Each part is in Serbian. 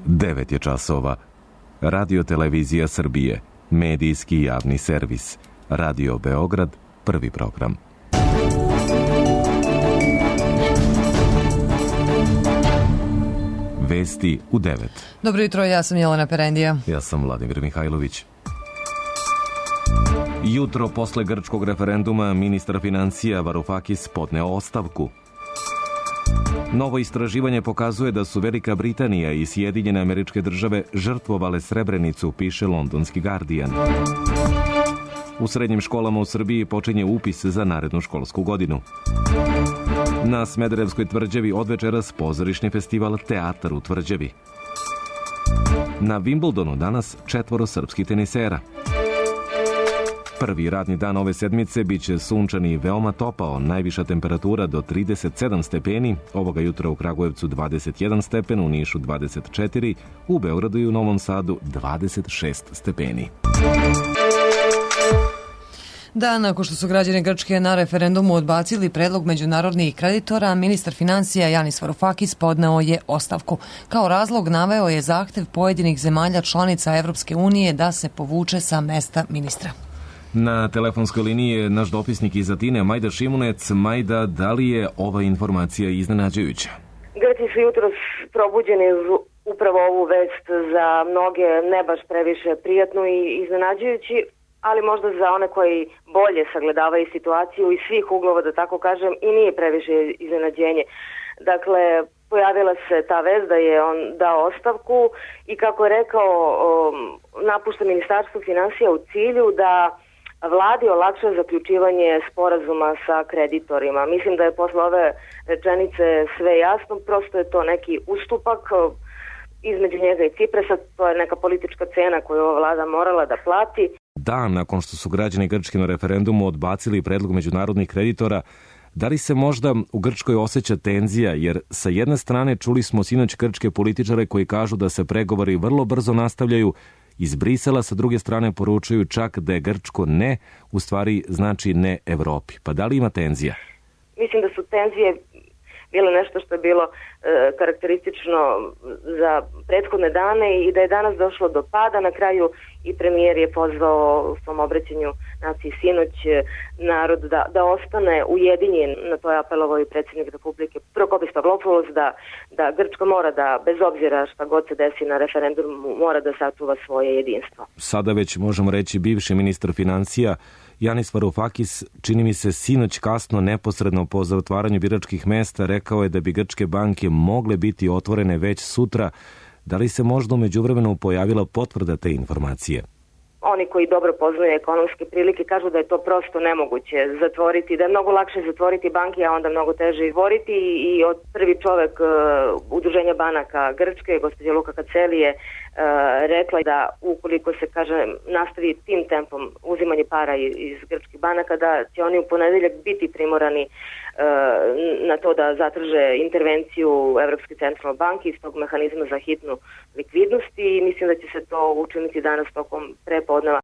9 je časova. Radio Televizija Srbije, medijski javni servis. Radio Beograd, prvi program. Vesti u 9. Dobro jutro, ja sam Jelena Perendija. Ja sam Vladimir Mihajlović. Jutro posle grčkog referenduma ministar financija Varoufakis podneo ostavku. Novo istraživanje pokazuje da su Velika Britanija i Sjedinjene Američke Države žrtvovale Srebrenicu, piše londonski Guardian. U srednjim školama u Srbiji počinje upis za narednu školsku godinu. Na Smederevskoj tvrđavi od večeras pozorišni festival Teatar u tvrđavi. Na Wimbledonu danas 4 srpskih tenisera. Prvi radni dan ove sedmice biće sunčan i veoma topao, najviša temperatura do 37 stepeni, ovoga jutra u Kragujevcu 21 stepen, u Nišu 24, u Beogradu i u Novom Sadu 26 stepeni. Dan nakon što su građani Grčke na referendumu odbacili predlog međunarodnih kreditora, ministar financija Janis Varoufakis podneo je ostavku. Kao razlog naveo je zahtev pojedinih zemalja članica Evropske unije da se povuče sa mesta ministra. Na telefonskoj liniji je naš dopisnik iz Atine, Majda Šimunec. Majda, da li je ova informacija iznenađujuća? Grci su jutros probuđeni upravo ovu vest, za mnoge ne baš previše prijatnu i iznenađujući, ali možda za one koji bolje sagledavaju situaciju iz svih uglova, da tako kažem, i nije previše iznenađenje. Dakle, pojavila se ta vest da je on dao ostavku i, kako je rekao, napušta ministarstvo financija u cilju da vladi olakša zaključivanje sporazuma sa kreditorima. Mislim da je posle ove rečenice sve jasno, prosto je to neki ustupak između njega i Cipresa, to je neka politička cena koju ova vlada morala da plati. Dan nakon što su građani Grčke na referendumu odbacili predlog međunarodnih kreditora, da li se možda u Grčkoj osjeća tenzija, jer sa jedne strane čuli smo sinoć grčke političare koji kažu da se pregovori vrlo brzo nastavljaju, iz Brisela sa druge strane poručuju čak da je grčko ne, u stvari znači ne Evropi. Pa da li ima tenzija? Mislim da su tenzije bilo nešto što je bilo karakteristično za prethodne dane i da je danas došlo do pada. Na kraju i premijer je pozvao u svom obraćanju naciji sinoć narod da ostane ujedinjen. Na to je apelovao i predsjednik Republike Prokopis Pavlopoulos da Grčka mora da, bez obzira šta god se desi na referendumu, mora da sačuva svoje jedinstvo. Sada već možemo reći bivši ministar financija Janis Varoufakis, čini mi se sinoć kasno, neposredno po zatvaranju biračkih mesta, rekao je da bi grčke banke mogle biti otvorene već sutra. Da li se možda u međuvremenu pojavila potvrda te informacije? Oni koji dobro poznaju ekonomske prilike kažu da je to prosto nemoguće zatvoriti, da je mnogo lakše zatvoriti banke, a onda mnogo teže izvoriti i od prvi čovek Udruženja banaka Grčke, gospođa Luka Kaceli, je rekla da ukoliko se, nastavi tim tempom uzimanje para iz grčkih banaka, da će oni u ponedeljak biti primorani na to da zatraže intervenciju Evropske centralne banke iz tog mehanizma za hitnu likvidnost i mislim da će se to učiniti danas tokom prepodneva.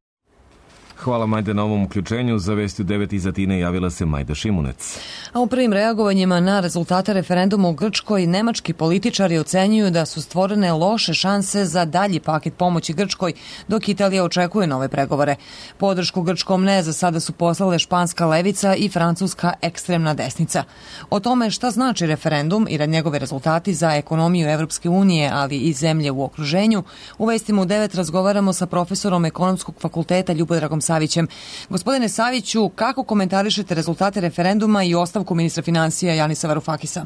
Hvala, Majde, na ovom uključenju. Za Vesti u 9 iz Atine javila se Majda Šimunec. A u prvim reagovanjima na rezultate referenduma u Grčkoj, nemački političari ocenjuju da su stvorene loše šanse za dalji paket pomoći Grčkoj, dok Italija očekuje nove pregovore. Podršku grčkom ne za sada su poslale španska levica i francuska ekstremna desnica. O tome šta znači referendum i njegove rezultati za ekonomiju Evropske unije, ali i zemlje u okruženju, u Vestima u 9 razgovaramo sa profesorom Ekonomskog fakulteta Ljubodragom Savićem. Gospodine Saviću, kako komentarišete rezultate referenduma i ostavku ministra financija Janisa Varoufakisa?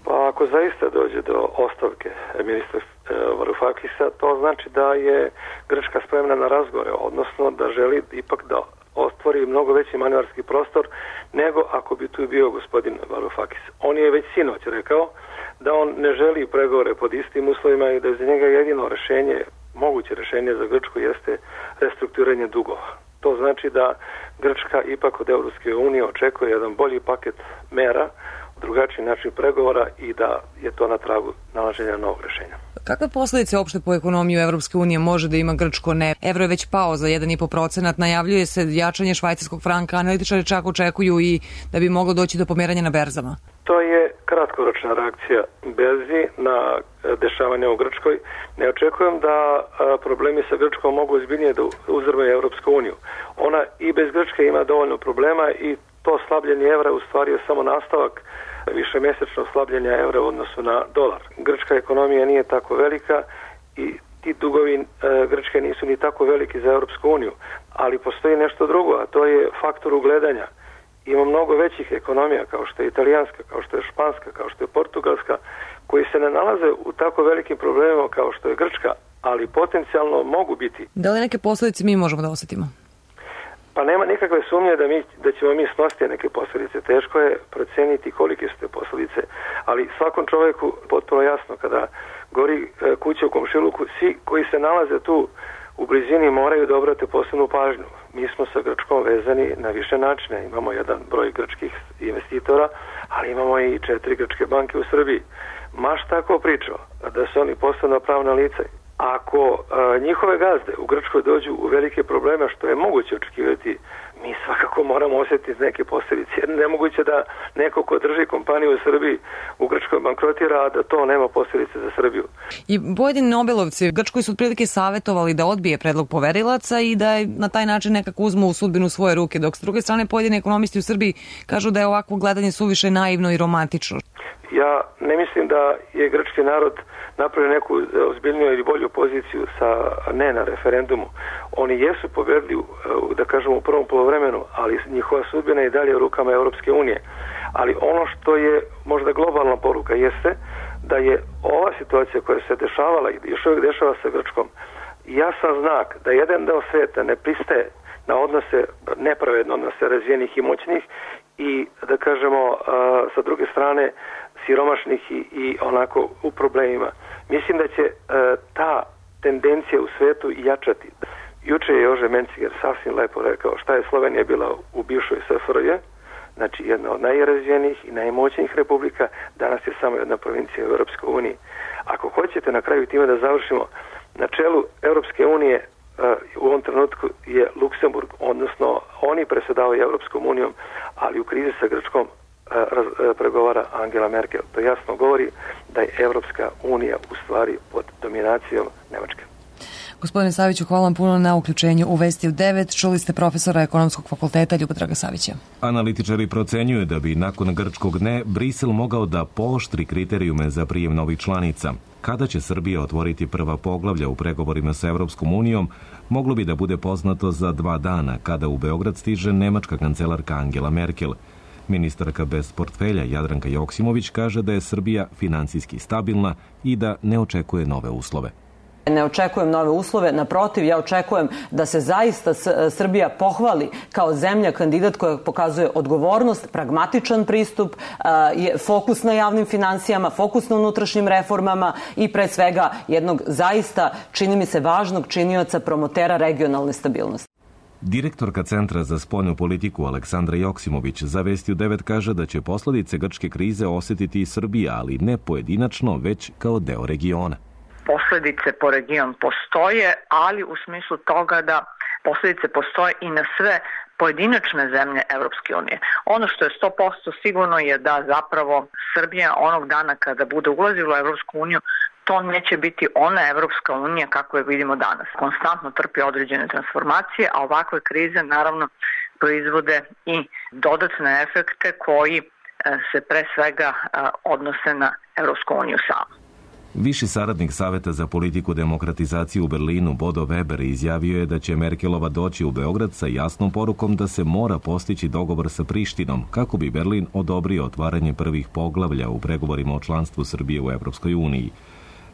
Pa ako zaista dođe do ostavke ministra Varoufakisa, to znači da je Grčka spremna na razgovore, odnosno da želi ipak da ostvori mnogo veći manevarski prostor nego ako bi tu bio gospodin Varoufakis. On je već sinoć rekao da on ne želi pregovore pod istim uslovima i da je za njega jedino moguće rešenje za Grčku jeste restrukturiranje dugova. To znači da Grčka ipak od Evropske unije očekuje jedan bolji paket mera, drugačiji način pregovora i da je to na tragu nalaženja novog rešenja. Kakve posljedice uopšte po ekonomiju Evropske unije može da ima grčko ne? Evro je već pao za 1,5%, najavljuje se jačanje švajcarskog franka, analitičari čak očekuju i da bi moglo doći do pomeranja na berzama. To je kratkoročna reakcija berzi na dešavanja u Grčkoj. Ne očekujem da problemi sa Grčkom mogu ozbiljnije da uzrmaju Evropsku uniju. Ona i bez Grčke ima dovoljno problema i to slabljenje evra u stvari je samo nastavak višemesečno slabljenja evra u odnosu na dolar. Grčka ekonomija nije tako velika i ti dugovi Grčke nisu ni tako veliki za Evropsku uniju, ali postoji nešto drugo, a to je faktor ugledanja. Ima mnogo većih ekonomija kao što je italijanska, kao što je španska, kao što je portugalska, koji se ne nalaze u tako velikim problemima kao što je Grčka, ali potencijalno mogu biti. Da li neke posljedice mi možemo da osjetimo? Pa nema nikakve sumnje da ćemo mi snositi neke posljedice. Teško je proceniti kolike su te posljedice, ali svakom čovjeku potpuno jasno kada gori kuća u komšiluku, svi koji se nalaze tu u blizini moraju da obrate posebnu pažnju. Mi smo sa Grčkom vezani na više načine. Imamo jedan broj grčkih investitora, ali imamo i 4 grčke banke u Srbiji. Maš tako pričao da su oni posebno pravna lica. Ako njihove gazde u Grčkoj dođu u velike probleme, što je moguće očekivati, mi svakako moramo osjetiti neke posljedice. Nemoguće da neko ko drži kompaniju u Srbiji u Grčkoj bankrotira, a da to nema posljedice za Srbiju. I pojedini Nobelovci u Grčkoj su otprilike savjetovali da odbije predlog poverilaca i da na taj način nekako uzmu sudbinu svoje ruke, dok s druge strane pojedini ekonomisti u Srbiji kažu da je ovakvo gledanje suviše naivno i romantično. Ja ne mislim da je grčki narod napravio neku ozbiljniju ili bolju poziciju sa ne na referendumu. Oni jesu pobedili, da kažemo, u prvom poluvremenu, ali njihova sudbina je i dalje u rukama Europske unije. Ali ono što je možda globalna poruka jeste da je ova situacija koja se dešavala i još uvijek dešava sa Grčkom jasan znak da jedan deo sveta ne pristaje na odnose, nepravedno odnose razvijenih i moćnih i, da kažemo, sa druge strane siromašnih i onako u problemima. Mislim da će ta tendencija u svetu jačati. Juče je Jože Menciger sasvim lepo rekao šta je Slovenija bila u bivšoj SFRJ, znači jedna od najrazvijenijih i najmoćnijih republika, danas je samo jedna provincija u Europskoj uniji. Ako hoćete na kraju time da završimo, na čelu Europske unije u ovom trenutku je Luksemburg, odnosno oni predsjedavaju Europskom unijom, ali u krizi sa Grčkom pregovara Angela Merkel. To jasno govori da je Evropska unija u stvari pod dominacijom Nemačke. Gospodine Saviću, hvala vam puno na uključenju u Vesti u 9. Čuli ste profesora Ekonomskog fakulteta Ljubodraga Savića. Analitičari procenjuju da bi nakon grčkog ne Brisel mogao da pooštri kriterijume za prijem novih članica. Kada će Srbija otvoriti prva poglavlja u pregovorima sa Evropskom unijom, moglo bi da bude poznato za 2 dana, kada u Beograd stiže nemačka kancelarka Angela Merkel. Ministarka bez portfelja Jadranka Joksimović kaže da je Srbija finansijski stabilna i da ne očekuje nove uslove. Ne očekujem nove uslove, naprotiv, ja očekujem da se zaista Srbija pohvali kao zemlja kandidat koja pokazuje odgovornost, pragmatičan pristup, fokus na javnim finansijama, fokus na unutrašnjim reformama i pre svega jednog zaista, čini mi se, važnog činioca promotera regionalne stabilnosti. Direktorka Centra za spoljnu politiku Aleksandra Joksimović za Vesti u 9 kaže da će posledice grčke krize osjetiti i Srbija, ali ne pojedinačno, već kao deo regiona. Posledice po region postoje, ali u smislu toga da posledice postoje i na sve pojedinačne zemlje Evropske unije. Ono što je 100% sigurno je da zapravo Srbija onog dana kada bude ulazila u Evropsku uniju, to neće biti ona Evropska unija kako je vidimo danas. Konstantno trpi određene transformacije, a ovakve krize naravno proizvode i dodatne efekte koji se pre svega odnose na Evropsku uniju samu. Viši saradnik Saveta za politiku demokratizacije u Berlinu, Bodo Weber, izjavio je da će Merkelova doći u Beograd sa jasnom porukom da se mora postići dogovor sa Prištinom, kako bi Berlin odobrio otvaranje prvih poglavlja u pregovorima o članstvu Srbije u Evropskoj uniji.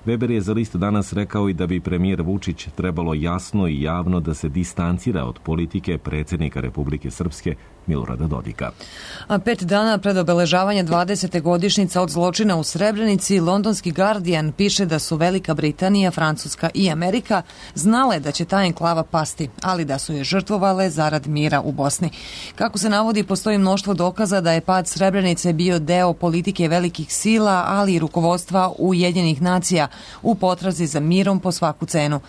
Weber je za List danas rekao i da bi premijer Vučić trebalo jasno i javno da se distancira od politike predsjednika Republike Srpske Milorada Dodika. A 5 dana pred obeležavanje 20. godišnjica od zločina u Srebrenici, londonski Guardian piše da su Velika Britanija, Francuska i Amerika znale da će ta enklava pasti, ali da su je žrtvovale zarad mira u Bosni. Kako se navodi, postoji mnoštvo dokaza da je pad Srebrenice bio deo politike velikih sila, ali i rukovodstva Ujedinjenih nacija u potrazi za mirom po svaku cenu.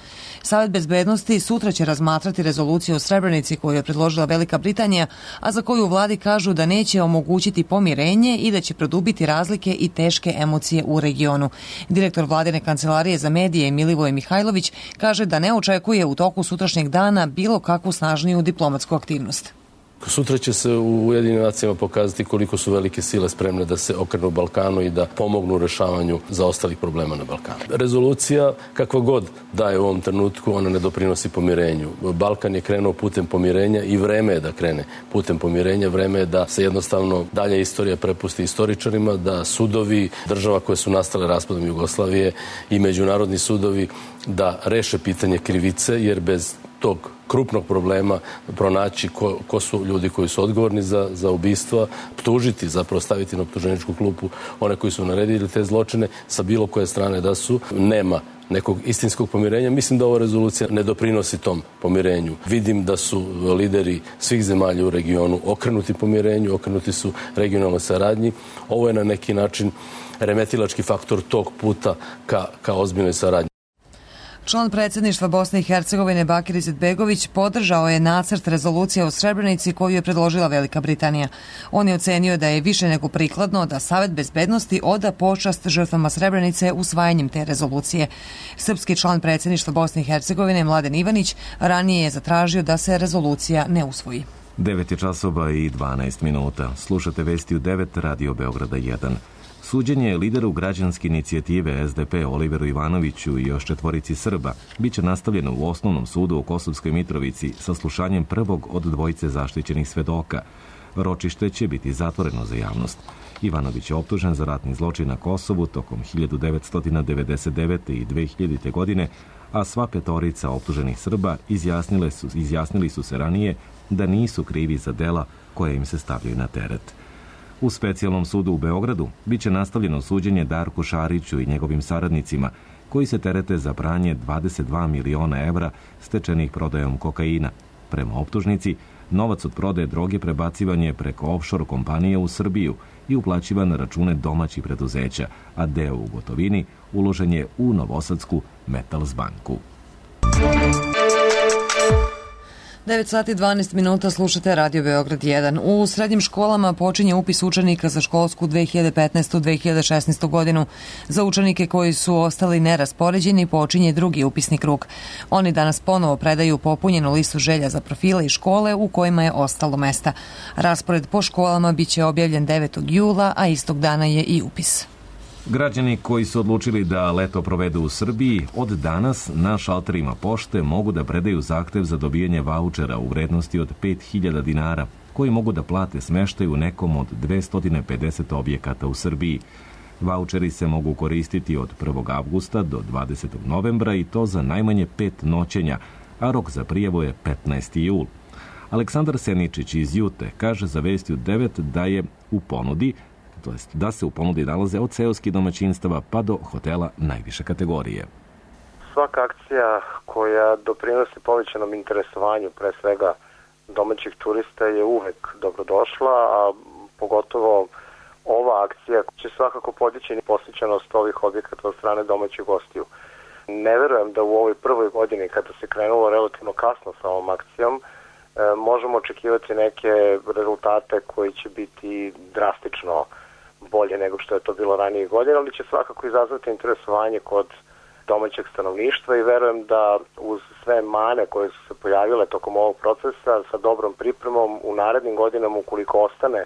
Savet bezbednosti sutra će razmatrati rezoluciju o Srebrenici koju je predložila Velika Britanija, a za koju u vladi kažu da neće omogućiti pomirenje i da će produbiti razlike i teške emocije u regionu. Direktor vladine kancelarije za medije Milivoj Mihajlović kaže da ne očekuje u toku sutrašnjeg dana bilo kakvu snažniju diplomatsku aktivnost. Sutra će se u Ujedinjenim nacijama pokazati koliko su velike sile spremne da se okrenu Balkanu i da pomognu u rešavanju zaostalih problema na Balkanu. Rezolucija, kakva god daje u ovom trenutku, ona ne doprinosi pomirenju. Balkan je krenuo putem pomirenja i vreme je da krene putem pomirenja. Vreme je da se jednostavno dalje istorija prepusti istoričarima, da sudovi država koje su nastale raspadom Jugoslavije i međunarodni sudovi da reše pitanje krivice, jer bez tog krupnog problema pronaći ko su ljudi koji su odgovorni za ubistva, optužiti, zapravo staviti na optuženičku klupu one koji su naredili te zločine sa bilo koje strane da su, nema nekog istinskog pomirenja. Mislim da ova rezolucija ne doprinosi tom pomirenju. Vidim da su lideri svih zemalja u regionu okrenuti pomirenju, okrenuti su regionalnoj saradnji. Ovo je na neki način remetilački faktor tog puta ka ozbiljnoj saradnji. Član predsjedništva Bosne i Hercegovine Bakir Izetbegović podržao je nacrt rezolucije o Srebrenici koju je predložila Velika Britanija. On je ocenio da je više nego prikladno da Savet bezbednosti oda počast žrtvama Srebrenice usvajanjem te rezolucije. Srpski član predsjedništva Bosne i Hercegovine Mladen Ivanić ranije je zatražio da se rezolucija ne usvoji. 9 časova i 12 minuta. Slušate vesti u 9 Radio Beograda 1. Suđenje lideru građanske inicijative SDP Oliveru Ivanoviću i još 4 Srba biće nastavljeno u Osnovnom sudu u Kosovskoj Mitrovici sa slušanjem prvog od 2 zaštićenih svedoka. Ročište će biti zatvoreno za javnost. Ivanović je optužen za ratni zločin na Kosovu tokom 1999. i 2000. godine, a sva 5 optuženih Srba izjasnili su se ranije da nisu krivi za dela koje im se stavljaju na teret. U Specijalnom sudu u Beogradu biće nastavljeno suđenje Darku Šariću i njegovim saradnicima, koji se terete za pranje 22 miliona evra stečenih prodajom kokaina. Prema optužnici, novac od prodaje droge prebacivan je preko offshore kompanije u Srbiju i uplaćivan na račune domaćih preduzeća, a deo u gotovini uložen je u Novosadsku Metals banku. 9 sati 12 minuta, slušate Radio Beograd 1. U srednjim školama počinje upis učenika za školsku 2015-2016. godinu. Za učenike koji su ostali neraspoređeni počinje drugi upisni krug. Oni danas ponovo predaju popunjenu listu želja za profile i škole u kojima je ostalo mesta. Raspored po školama biće objavljen 9. jula, a istog dana je i upis. Građani koji su odlučili da leto provedu u Srbiji od danas na šalterima pošte mogu da predaju zahtev za dobijanje vaučera u vrednosti od 5.000 dinara, koji mogu da plate smeštaj u nekom od 250 objekata u Srbiji. Vaučeri se mogu koristiti od 1. avgusta do 20. novembra i to za najmanje 5 noćenja, a rok za prijavu je 15. jul. Aleksandar Seničić iz Jute kaže za Vesti u 9 da je u ponudi, to jest da se u ponudi nalaze od seoskih domaćinstava pa do hotela najviše kategorije. Svaka akcija koja doprinosi povećanom interesovanju, pre svega domaćih turista, je uvek dobrodošla, a pogotovo ova akcija će svakako podići posjećenost ovih objekata od strane domaćih gostiju. Ne verujem da u ovoj prvoj godini, kada se krenulo relativno kasno sa ovom akcijom, možemo očekivati neke rezultate koji će biti drastično bolje nego što je to bilo ranije godine, ali će svakako izazvati interesovanje kod domaćeg stanovništva i verujem da uz sve mane koje su se pojavile tokom ovog procesa, sa dobrom pripremom u narednim godinama, ukoliko ostane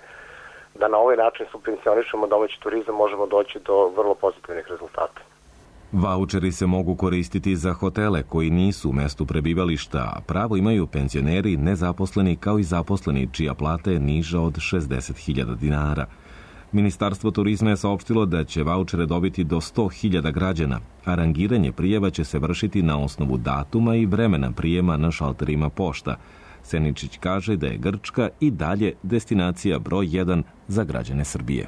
da na ovaj način subvencionišemo domaći turizam, možemo doći do vrlo pozitivnih rezultata. Vaučeri se mogu koristiti za hotele koji nisu u mestu prebivališta, a pravo imaju penzioneri, nezaposleni kao i zaposleni čija plata je niža od 60.000 dinara. Ministarstvo turizma je saopštilo da će vaučere dobiti do 100.000 građana, a rangiranje prijava će se vršiti na osnovu datuma i vremena prijema na šalterima pošta. Seničić kaže da je Grčka i dalje destinacija broj 1 za građane Srbije.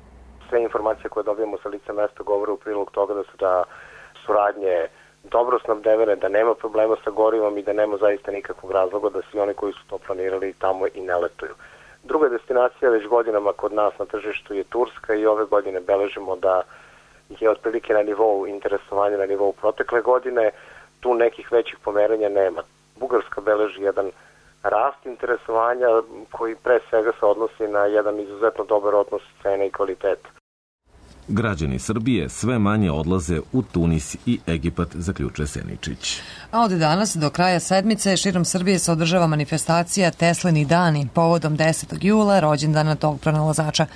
Sve informacije koje dobijemo sa lica mesta govore u prilog toga da su radnje dobro snabdevene, da nema problema sa gorivom i da nema zaista nikakvog razloga da svi oni koji su to planirali tamo i ne letuju. Druga destinacija već godinama kod nas na tržištu je Turska i ove godine beležimo da je otprilike na nivou interesovanja, na nivou protekle godine. Tu nekih većih pomeranja nema. Bugarska beleži jedan rast interesovanja koji pre svega se odnosi na jedan izuzetno dobar odnos cene i kvaliteta. Građani Srbije sve manje odlaze u Tunis i Egipat, zaključuje Seničić. A od danas do kraja sedmice širom Srbije se održava manifestacija Teslini dani povodom 10. jula, rođendana tog pronalazača.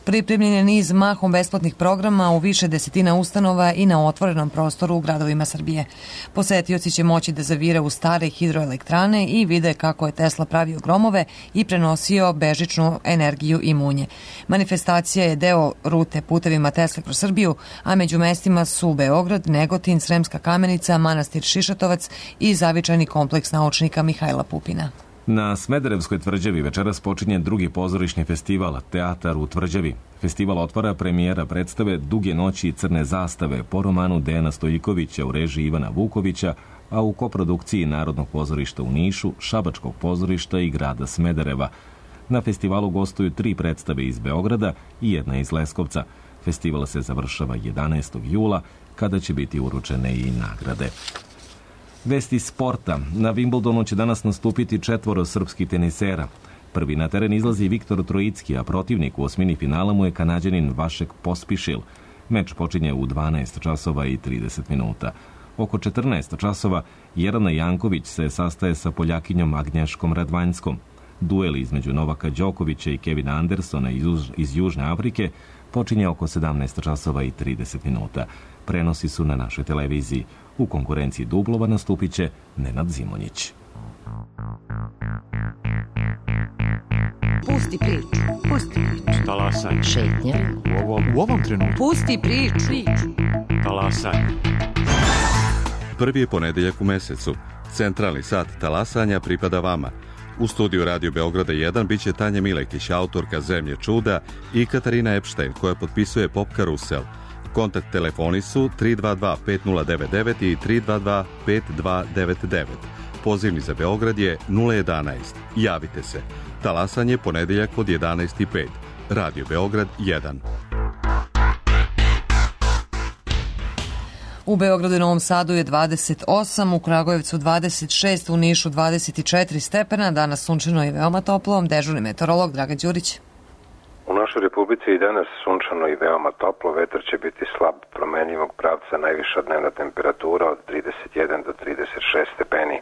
Pripremljen je niz mahom besplatnih programa u više desetina ustanova i na otvorenom prostoru u gradovima Srbije. Posetioci će moći da zavire u stare hidroelektrane i vide kako je Tesla pravio gromove i prenosio bežičnu energiju i munje. Manifestacija je deo rute putevima Tesla kroz Srbiju, a među mestima su Beograd, Negotin, Sremska Kamenica, manastir Šišatovac i zavičajni kompleks naučnika Mihajla Pupina. Na Smederevskoj tvrđavi večeras počinje drugi pozorišni festival Teatar u tvrđavi. Festival otvara premijera predstave Duge noći i crne zastave po romanu Dejana Stojikovića u režiji Ivana Vukovića, a u koprodukciji Narodnog pozorišta u Nišu, Šabačkog pozorišta i grada Smedereva. Na festivalu gostuju 3 predstave iz Beograda i 1 iz Leskovca. Festival se završava 11. jula, kada će biti uručene i nagrade. Vesti sporta. Na Wimbledonu će danas nastupiti 4 srpskih tenisera. Prvi na teren izlazi Viktor Trojicki, a protivnik u osmini finala mu je Kanađanin Vašek Pospišil. Meč počinje u 12 časova i 30 minuta. Oko 14 časova Jelena Janković se sastaje sa Poljakinjom Agnješkom Radvanjskom. Duel između Novaka Đokovića i Kevina Andersona iz Južne Afrike počinje oko 17 časova i 30 minuta. Prenosi su na našoj televiziji. U konkurenciji dublova nastupit će Nenad Zimonjić. Pusti priču. Pusti priču. Talasaj. Šetnja. U ovom trenutku. Pusti priču. Talasaj. Prvi je ponedeljak u mesecu. Centralni sat talasanja pripada vama. U studiju Radio Beograda 1 biće Tanja Milekić, autorka Zemlje čuda, i Katarina Epštajn, koja potpisuje Pop Karusel. Kontakt telefoni su 322-5099 i 322-5299. Pozivni za Beograd je 011. Javite se. Talasanje ponedeljak od 11:05. Radio Beograd 1. U Beogradu i Novom Sadu je 28, u Kragujevcu 26, u Nišu 24 stepena. Danas sunčano i veoma toplo. Dežurni meteorolog Dragan Đurić. U našoj Republici i danas sunčano i veoma toplo. Vetar će biti slab, promenljivog pravca, najviša dnevna temperatura od 31 do 36 stepeni.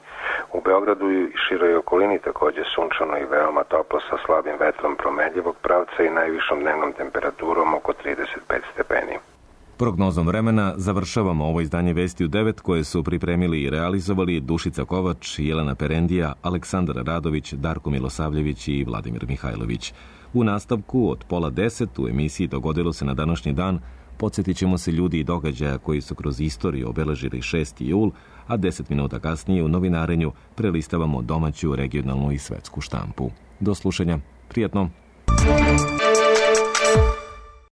U Beogradu i široj okolini takođe sunčano i veoma toplo sa slabim vetrom promenljivog pravca i najvišom dnevnom temperaturom oko 35 stepeni. Prognozom vremena završavamo ovo izdanje Vesti u 9 koje su pripremili i realizovali Dušica Kovač, Jelena Perendija, Aleksandar Radović, Darko Milosavljević i Vladimir Mihajlović. U nastavku od 9:30 u emisiji Dogodilo se na današnji dan podsjetit ćemo se ljudi i događaja koji su kroz istoriju obeležili 6. jul, a 10 minuta kasnije u novinarenju prelistavamo domaću, regionalnu i svetsku štampu. Do slušanja. Prijatno.